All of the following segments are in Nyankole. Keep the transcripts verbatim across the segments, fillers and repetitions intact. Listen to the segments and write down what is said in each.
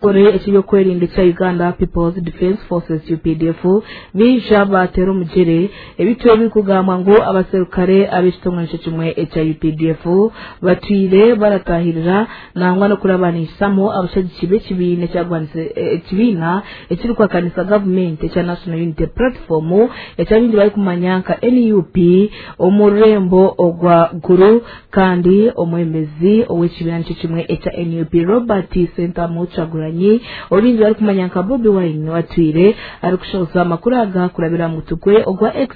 Ekyokwerinda ekya Uganda People's Defence Forces U P D F bija batera omugere ebitwe ebikugambwa ngu abaserukare ab'ekitongole kimwe ekya U P D F batwire baratahirira nangwa n'okurabanisamo abashagizi b'ekibiina ekyagwanise ekibiina ekirikwakanisa gavumenti ekya National Unity Platform ekyabindi barikumanya nka N U P omu rurembo ogwa Guru. Kandi omwemezi ow'ekibiina nikyo kimwe ekya N U P Robert Sentamu Kyagulanyi obingi barikumanya nka Bobi Wine watwire arikushoza amakuru aga kurabira mu mutwe ogwa X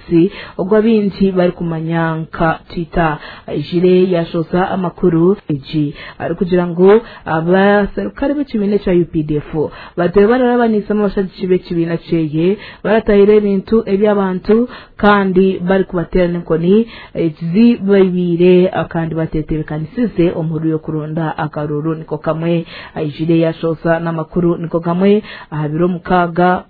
ogwa bingi barikumanya nka Twitter. Aijire yashoza amakuru egi arikugira ngu abaserukare b'ekibiina ekya U P D F batwe bararabanisa abashagizi b'ekibiina kyeye baratahira ebintu eby'abantu kandi barikubatera n'enkoni ezi baibire kandi batetebekanisize omuhuru y'okuronda akaruru. Niko kamwe aijire yashoza n'amakuru niko kamwe aha biro mukaaga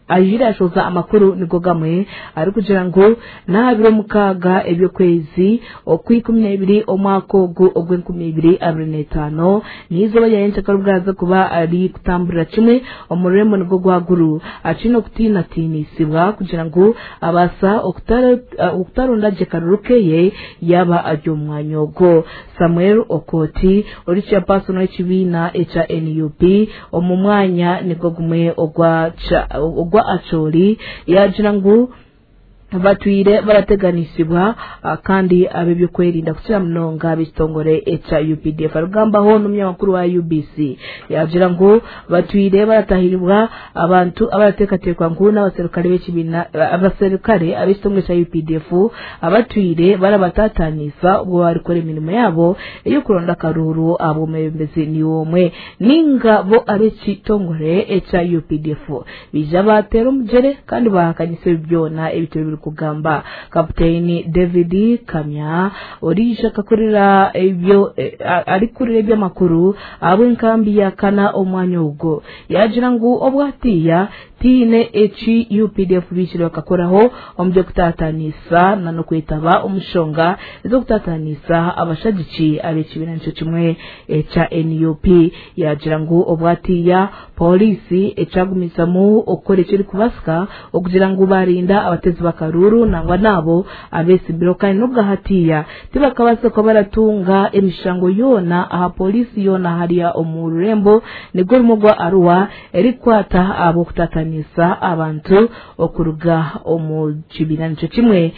aijire yashoza amakuru niko gamwe arikugira ngu n'aha mukaaga ebyokwezi okwikumi n'ebiri omwaka ogu ogw'enkumi ibiri abiri n'etaano n'izooba rya nyenkyakare kuba ari kutamburira kimwe omu rurembo nigwo gwa Guru akine okutiinatiinisibwa kugira ngu abaasa okutaronda gye karuru keye yaba ari omu mwanya ogwo. Samuel Okoti ori chairperson w'ekibiina ekya N U P omu mwanya nigwo gumwe ogwa ogwa Acholi yagira ngu batwire barateganisibwa kandi ab'ebyokwerinda kukira munonga ab'ekitongole ekya U P D F. Arugambaho n'omunyamakuru wa U B C yagira ngu batwire baratahiribwa abantu abarateekateekwa ngu n'abaserukare b'ekibiina abaserukare ab'ekitongole kya U P D F abatwire barabatatanisa ubwo barikora emirimo yabo ey'okuronda akaruru ab'omwebembezi ni omwe ninga bo ab'ekitongole ekya U P D F bija batera omugere kandi bahakanyisa byona ebitwe kugamba. Kapiteni David Kamya orija kakurira ebyo arikurira ebyamakuru ab'enkambi ya kana omwanya ogwo yagira ngu obwatiya tiine eki U P D F bikire bakakoraho omu by'okutatanisa na n'okwetaba omushonga ez'okutatanisa abashagiki ab'ekibiina nikyo kimwe ekya N U P. Yagira ngu obwatiya polisi ekyagumizamu okukora ekirikubasika okugira ngu barinda abatezi bakaruru nangwa nabo abesimbiro kandi n'obwahatiya tibakabaasa kuba baratunga emishango yoona aha polisi yoona hariya omu rurembo nigwo rumwe gwa Arua erikwata ab'okutatanisa abantu okuruga omu kibiina nikyo kimwe